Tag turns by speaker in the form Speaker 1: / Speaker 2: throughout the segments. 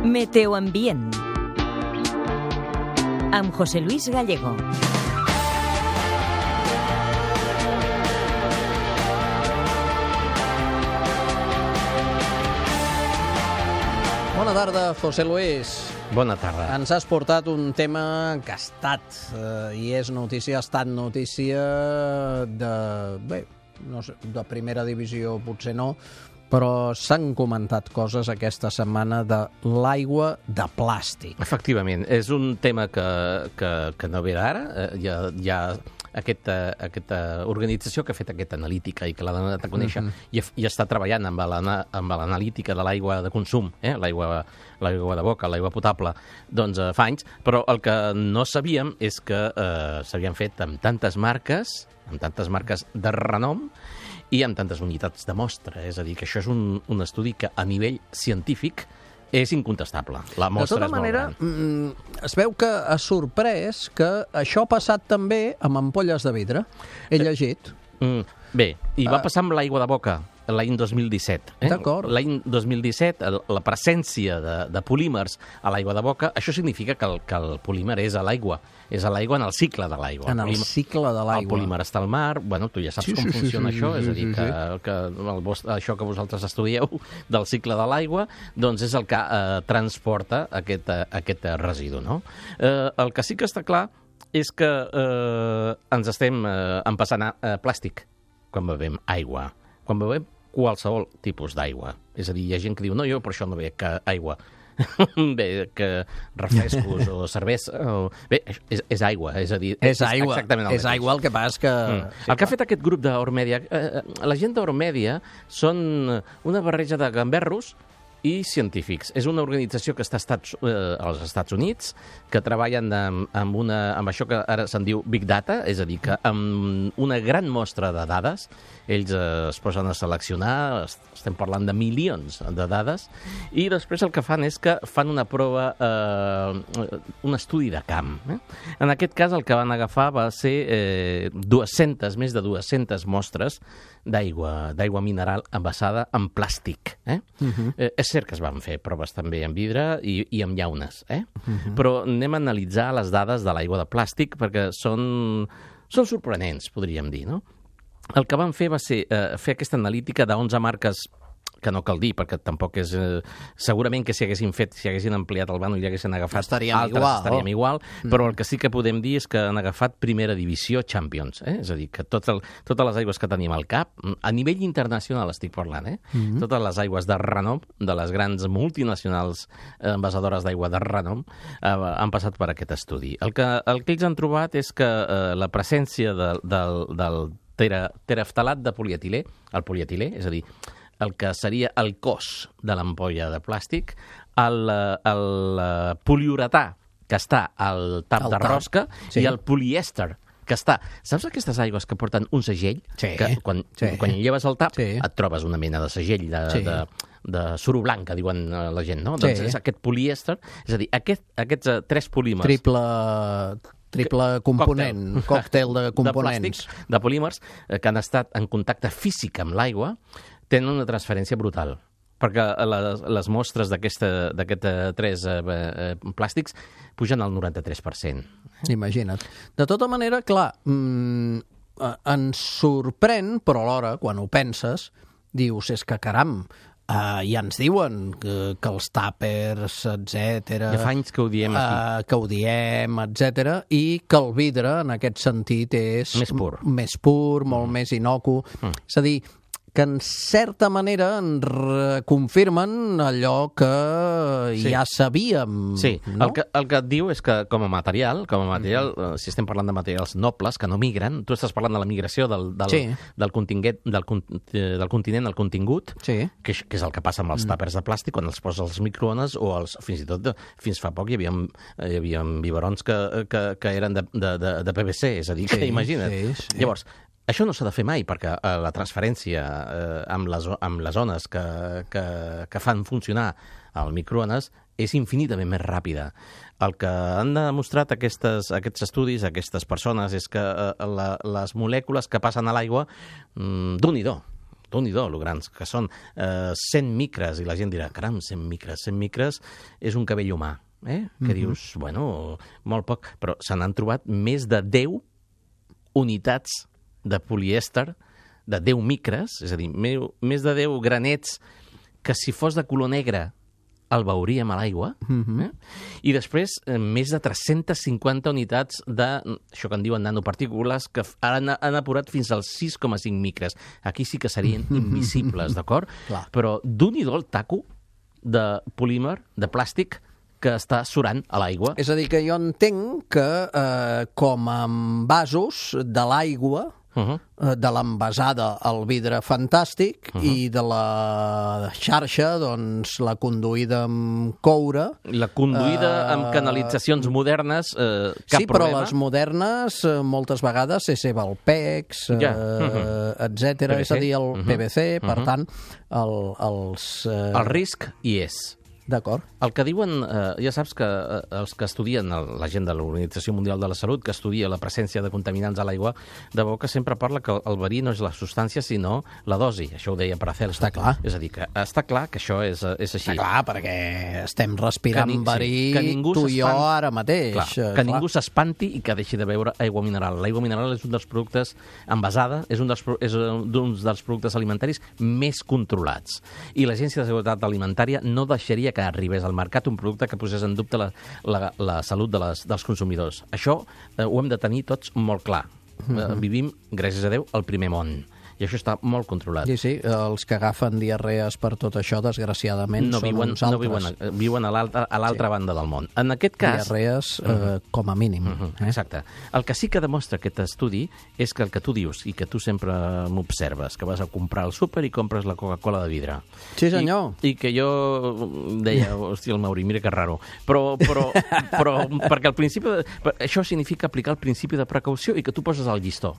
Speaker 1: Meteoambient amb José Luis Gallego.
Speaker 2: Bona tarda, José Luis.
Speaker 3: Bona tarda.
Speaker 2: Ens has portat un tema que ha estat, i és notícia, ha estat notícia de, bé, no sé, de primera divisió potser no, però s'han comentat coses aquesta setmana de l'aigua de plàstic.
Speaker 3: Efectivament, és un tema que no ve d'ara, hi ha aquesta organització que ha fet aquesta analítica i que l'ha donat a conèixer i està treballant amb l'analítica de l'aigua de consum, l'aigua de boca, l'aigua potable, doncs fa anys, però el que no sabíem és que s'havien fet amb tantes marques de renom i amb tantes unitats de mostra. És a dir, que això és un estudi que a nivell científic és incontestable. La mostra
Speaker 2: de tota manera, es veu que ha sorprès que això ha passat també amb ampolles de vidre. He llegit.
Speaker 3: Bé, i va passar amb l'aigua de boca l'any 2017.
Speaker 2: D'acord.
Speaker 3: L'any 2017, la presència de polímers a l'aigua de boca, això significa que el polímer és a l'aigua en el cicle de l'aigua.
Speaker 2: En el cicle de l'aigua.
Speaker 3: El polímer està al mar, bueno, tu ja saps com funciona això, és a dir, que això que vosaltres estudieu del cicle de l'aigua, doncs és el que transporta aquest residu, no? El que sí que està clar és que ens estem empassant plàstic quan bevem aigua, quan bevem qualsevol tipus d'aigua. És a dir, hi ha gent que diu, no, jo per això no bec aigua. Bé, que refrescos o cervesa... Bé, és aigua, és a dir...
Speaker 2: És aigua,
Speaker 3: exactament el mateix.
Speaker 2: És aigua, el que passa és que...
Speaker 3: El que ha fet aquest grup d'Ormèdia... La gent d'Ormèdia són una barreja de gamberros i científics. És una organització que està als Estats Units, que treballen amb això que ara se'n diu Big Data, és a dir, que amb una gran mostra de dades, ells es posen a seleccionar, estem parlant de milions de dades, i després el que fan és que fan una prova, un estudi de camp. En aquest cas el que van agafar va ser més de 200 mostres d'aigua mineral envasada en plàstic. És cert que es van fer proves també en vidre i en llaunes, però anem a analitzar les dades de l'aigua de plàstic perquè són sorprenents, podríem dir, no? El que van fer va ser fer aquesta analítica d'11 marques que no cal dir, perquè tampoc és... segurament que si haguessin ampliat el vano i haguessin agafat estaríem igual, però el que sí que podem dir és que han agafat primera divisió Champions, és a dir, que totes les aigües que tenim al cap, a nivell internacional estic parlant, totes les aigües de renom, de les grans multinacionals envasadores d'aigua de renom, han passat per aquest estudi. El que ells han trobat és que la presència del tereftalat de polietilè, el polietilè, és a dir, el que seria el cos de l'ampolla de plàstic, el poliuretà, que està al tap de rosca, i el polièster, que està... Saps aquestes aigües que porten un segell?
Speaker 2: Sí.
Speaker 3: Que quan lleves el tap et trobes una mena de segell de suro blanc, que diuen la gent, no? Doncs és aquest polièster, és a dir, aquests 3 polímers...
Speaker 2: Triple component, còctel de components.
Speaker 3: De polímers que han estat en contacte físic amb l'aigua, tenen una transferència brutal, perquè les mostres d'aquests 3 plàstics pugen al 93%.
Speaker 2: Imagina't. De tota manera, clar, ens sorprèn, però alhora, quan ho penses, dius, és que caram, ja ens diuen que els tàpers, etcètera...
Speaker 3: Ja fa anys que ho diem aquí.
Speaker 2: Que ho diem, etcètera, i que el vidre, en aquest sentit, és... Més pur, molt més innocu. És a dir, que en certa manera ens confirmen allò que ja sabíem. Sí,
Speaker 3: no? El que et diu és que com a material, si estem parlant de materials nobles que no migren, tu estàs parlant de la migració del continent al contingut, que és el que passa amb els tàpers de plàstic quan els poses als microones o fins i tot fins fa poc hi havia biberons que eren de PVC, és a dir, que imagina't. Llavors, això no s'ha de fer mai, perquè la transferència amb les ones que fan funcionar el microones és infinitament més ràpida. El que han demostrat aquests estudis, aquestes persones, és que les molècules que passen a l'aigua, Déu-n'hi-do, Déu-n'hi-do, lo grans que són, 100 micres, i la gent dirà, caram, 100 micres és un cabell humà, que dius, bueno, molt poc, però se n'han trobat més de 10 unitats de polièster, de 10 micres, és a dir, més de 10 granets que si fos de color negre el veuríem a l'aigua, i després més de 350 unitats això que en diuen nanopartícules, que han apurat fins als 6,5 micres. Aquí sí que serien invisibles, d'acord? Però d'un-hi-do el taco de polímer, de plàstic, que està surant a l'aigua.
Speaker 2: És a dir, que jo entenc que com en vasos de l'aigua, de l'envasada al vidre fantàstic i de la xarxa, doncs, la conduïda amb coure.
Speaker 3: La conduïda amb canalitzacions modernes, cap
Speaker 2: sí, però
Speaker 3: problema.
Speaker 2: les modernes moltes vegades és Evalpex, etc. És a dir, el PVC, per tant,
Speaker 3: el risc hi és.
Speaker 2: D'acord.
Speaker 3: El que diuen, ja saps que els que estudien, la gent de l'Organització Mundial de la Salut, que estudia la presència de contaminants a l'aigua, de bo que sempre parla que el verí no és la substància, sinó la dosi. Això ho deia Paracelso.
Speaker 2: Està clar.
Speaker 3: És a dir, que està clar que això és així.
Speaker 2: Està clar, perquè estem respirant verí tu i jo ara mateix.
Speaker 3: Clar, que ningú s'espanti i que deixi de beure aigua mineral. L'aigua mineral és un dels productes envasada, és un dels productes alimentaris més controlats. I l'Agència de Seguretat Alimentària no deixaria que arribés al mercat un producte que posés en dubte la salut dels consumidors. Això ho hem de tenir tots molt clar. Vivim, gràcies a Déu, al primer món. I això està molt controlat.
Speaker 2: Sí, els que agafen diarrees per tot això, desgraciadament, són uns altres.
Speaker 3: Viuen a l'altra banda del món. En aquest cas...
Speaker 2: Diarrees com a mínim.
Speaker 3: Exacte. El que sí que demostra aquest estudi és que el que tu dius, i que tu sempre m'observes, que vas a comprar al súper i compres la Coca-Cola de vidre.
Speaker 2: Sí, senyor.
Speaker 3: I que jo deia, hòstia, el Mauri, mira que raro. Però perquè al principi... Això significa aplicar el principi de precaució i que tu poses el llistó.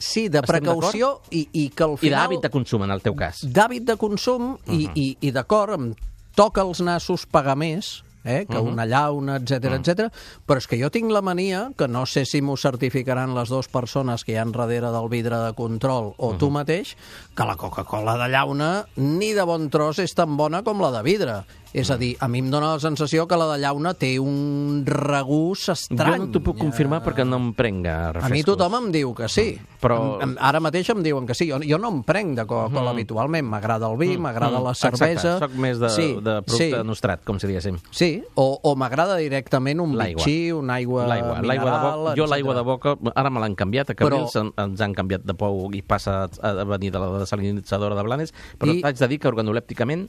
Speaker 2: Sí, de precaució i que al final...
Speaker 3: I d'hàbit de consum, en el teu cas.
Speaker 2: D'hàbit de consum i d'acord, em toca els nassos pagar més, que una llauna, etc. Però és que jo tinc la mania, que no sé si m'ho certificaran les dues persones que hi ha darrere del vidre de control o tu mateix, que la Coca-Cola de llauna ni de bon tros és tan bona com la de vidre. És a dir, a mi em dóna la sensació que la de llauna té un regús estrany.
Speaker 3: Jo no t'ho puc confirmar perquè no em prenc refrescos.
Speaker 2: A mi tothom em diu que sí.
Speaker 3: Però...
Speaker 2: Ara mateix em diuen que sí. Jo no em prenc de Coca-Cola habitualment. M'agrada el vi, m'agrada la cervesa.
Speaker 3: Exacte, soc més de producte nostrat, com si diguéssim.
Speaker 2: Sí, o m'agrada directament un bitxí, una aigua mineral...
Speaker 3: Jo l'aigua de boca, ara me l'han canviat, a Cabrils ens han canviat de pou i passa a venir de la desalinitzadora de Blanes, però t'haig de dir que organolèpticament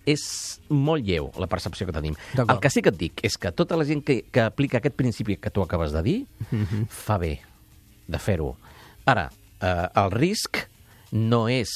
Speaker 3: és molt lleu la percepció que tenim. El que sí que et dic és que tota la gent que aplica aquest principi que tu acabes de dir fa bé de fer-ho. Ara, el risc no és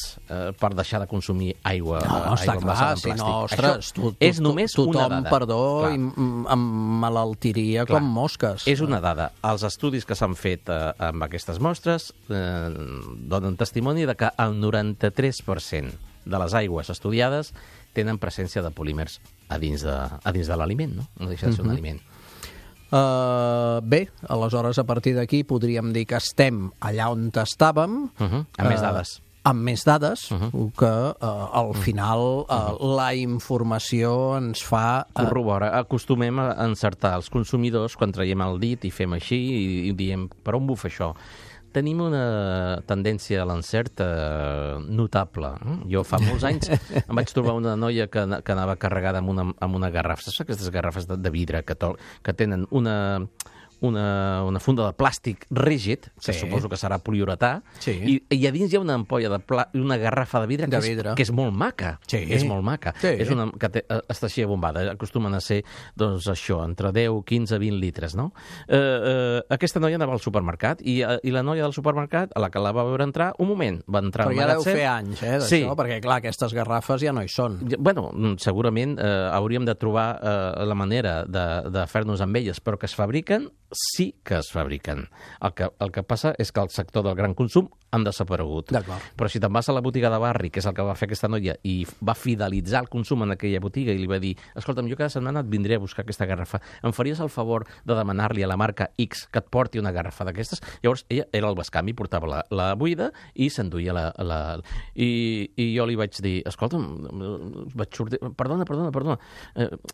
Speaker 3: per deixar de consumir aigua envasada en plàstic.
Speaker 2: No, ostres,
Speaker 3: és només una dada.
Speaker 2: Perdó, em malaltiria com mosques.
Speaker 3: És una dada. Els estudis que s'han fet amb aquestes mostres donen testimoni de que el 93% de les aigües estudiades tenen presència de polímers a dins de l'aliment, no? No deixa de ser un aliment.
Speaker 2: Bé, aleshores a partir d'aquí podríem dir que estem allà on estàvem.
Speaker 3: Amb més dades.
Speaker 2: Amb més dades, que al final la informació ens fa...
Speaker 3: Corrobora. Acostumem a encertar els consumidors quan traiem el dit i fem així i diem, per on bufa això? Tenim una tendència a l'encert notable. Jo fa molts anys em vaig trobar una noia que anava carregada amb una garrafa. Saps aquestes garrafes de vidre que tenen una funda de plàstic rígid, que suposo que serà poliuretà, i a dins hi ha una ampolla una garrafa de vidre que és molt maca. És molt maca. És una que està així abombada. Acostumen a ser, doncs, això, entre 10, 15, 20 litres, no? Aquesta noia anava al supermercat i la noia del supermercat, a la que la va veure entrar, un moment, va entrar al magatzem...
Speaker 2: Però ja deu fer anys, d'això, perquè, clar, aquestes garrafes ja no hi són.
Speaker 3: Bueno, segurament hauríem de trobar la manera de fer-nos amb elles, però que es fabriquen sí que es fabriquen. El que passa és que el sector del gran consum han desaparegut.
Speaker 2: D'acord.
Speaker 3: Però si te'n vas a la botiga de barri, que és el que va fer aquesta noia, i va fidelitzar el consum en aquella botiga i li va dir, escolta'm, jo cada setmana et vindré a buscar aquesta garrafa, em faries el favor de demanar-li a la marca X que et porti una garrafa d'aquestes? Llavors ella era el bescanvi, portava la buida i s'enduia I jo li vaig dir, escolta'm, vaig sortir, perdona,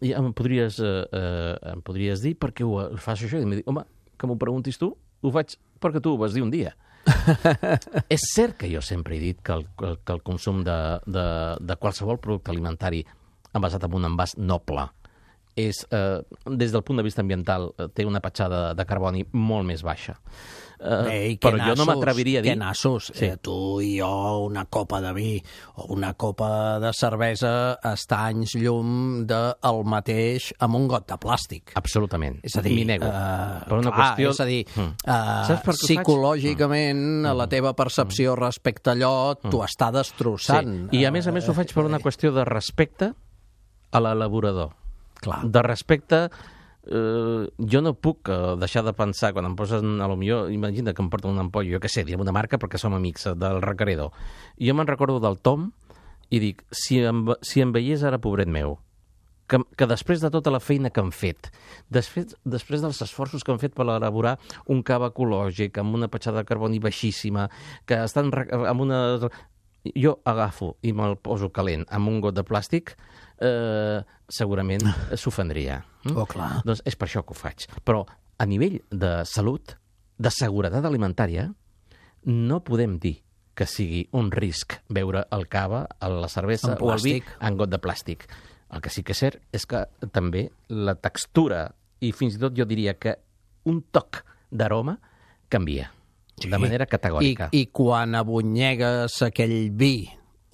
Speaker 3: em podries dir per què ho fas això? I em diu, home, que m'ho preguntis tu, ho faig perquè tu ho vas dir un dia. És cert que jo sempre he dit que el consum de qualsevol producte alimentari envasat en un envàs noble és, des del punt de vista ambiental, té una petjada de carboni molt més baixa. Però jo no m'atreviria a dir...
Speaker 2: Que nassos, sí. Tu i jo, una copa de vi o una copa de cervesa està anys llum del mateix amb un got de plàstic.
Speaker 3: Absolutament.
Speaker 2: És a dir,
Speaker 3: m'hi nego. Per una qüestió...
Speaker 2: És a dir, psicològicament, la teva percepció respecte a allò t'ho està destrossant.
Speaker 3: Sí. I a més ho faig per una qüestió de respecte a l'elaborador.
Speaker 2: Clar.
Speaker 3: De respecte... jo no puc deixar de pensar quan em posen, a lo millor, imagina que em porten un ampoll, jo què sé, diem una marca perquè som amics del requeridor. Jo me'n recordo del Tom i dic, si em veiés ara, pobret meu, que després de tota la feina que han fet, després dels esforços que han fet per elaborar un cava ecològic amb una petjada de carboni baixíssima, que estan amb una... Jo agafo i me'l poso calent amb un got de plàstic, segurament s'ofendria.
Speaker 2: Oh, clar.
Speaker 3: Doncs és per això que ho faig. Però a nivell de salut, de seguretat alimentària, no podem dir que sigui un risc beure el cava, la cervesa o el vi en got de plàstic. El que sí que és cert és que també la textura i fins i tot jo diria que un toc d'aroma canvia. Sí. De manera categòrica.
Speaker 2: I quan abonyegues aquell vi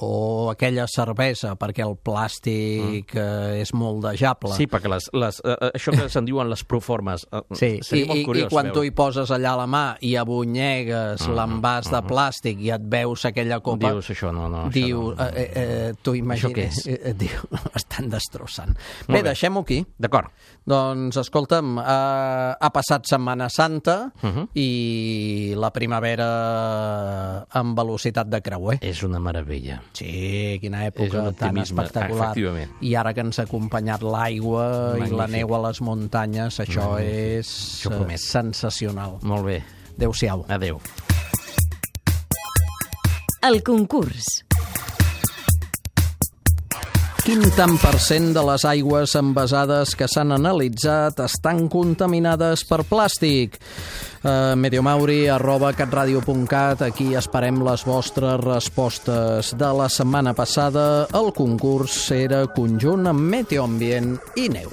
Speaker 2: o aquella cervesa, perquè el plàstic és moldejable.
Speaker 3: Sí, perquè això que se'n diuen les proformes, seria molt curiós.
Speaker 2: I quan tu hi poses allà la mà i abonyegues l'envàs de plàstic i et veus aquella copa...
Speaker 3: Dius, això no.
Speaker 2: Tu imagines... Diu, estan destrossant. Bé, deixem-ho aquí.
Speaker 3: D'acord.
Speaker 2: Doncs, escolta'm, ha passat Setmana Santa i la primavera amb velocitat de creuer.
Speaker 3: És una meravella.
Speaker 2: Sí, quina època tan espectacular. I ara que ens ha acompanyat l'aigua i la neu a les muntanyes, això és sensacional.
Speaker 3: Molt bé.
Speaker 2: Adéu-siau.
Speaker 3: Adéu.
Speaker 1: El concurs.
Speaker 2: Quin tant per cent de les aigües envasades que s'han analitzat estan contaminades per plàstic? mediomauri@catradio.cat. Aquí esperem les vostres respostes. De la setmana passada, el concurs era conjunt amb Meteo Ambient i neu.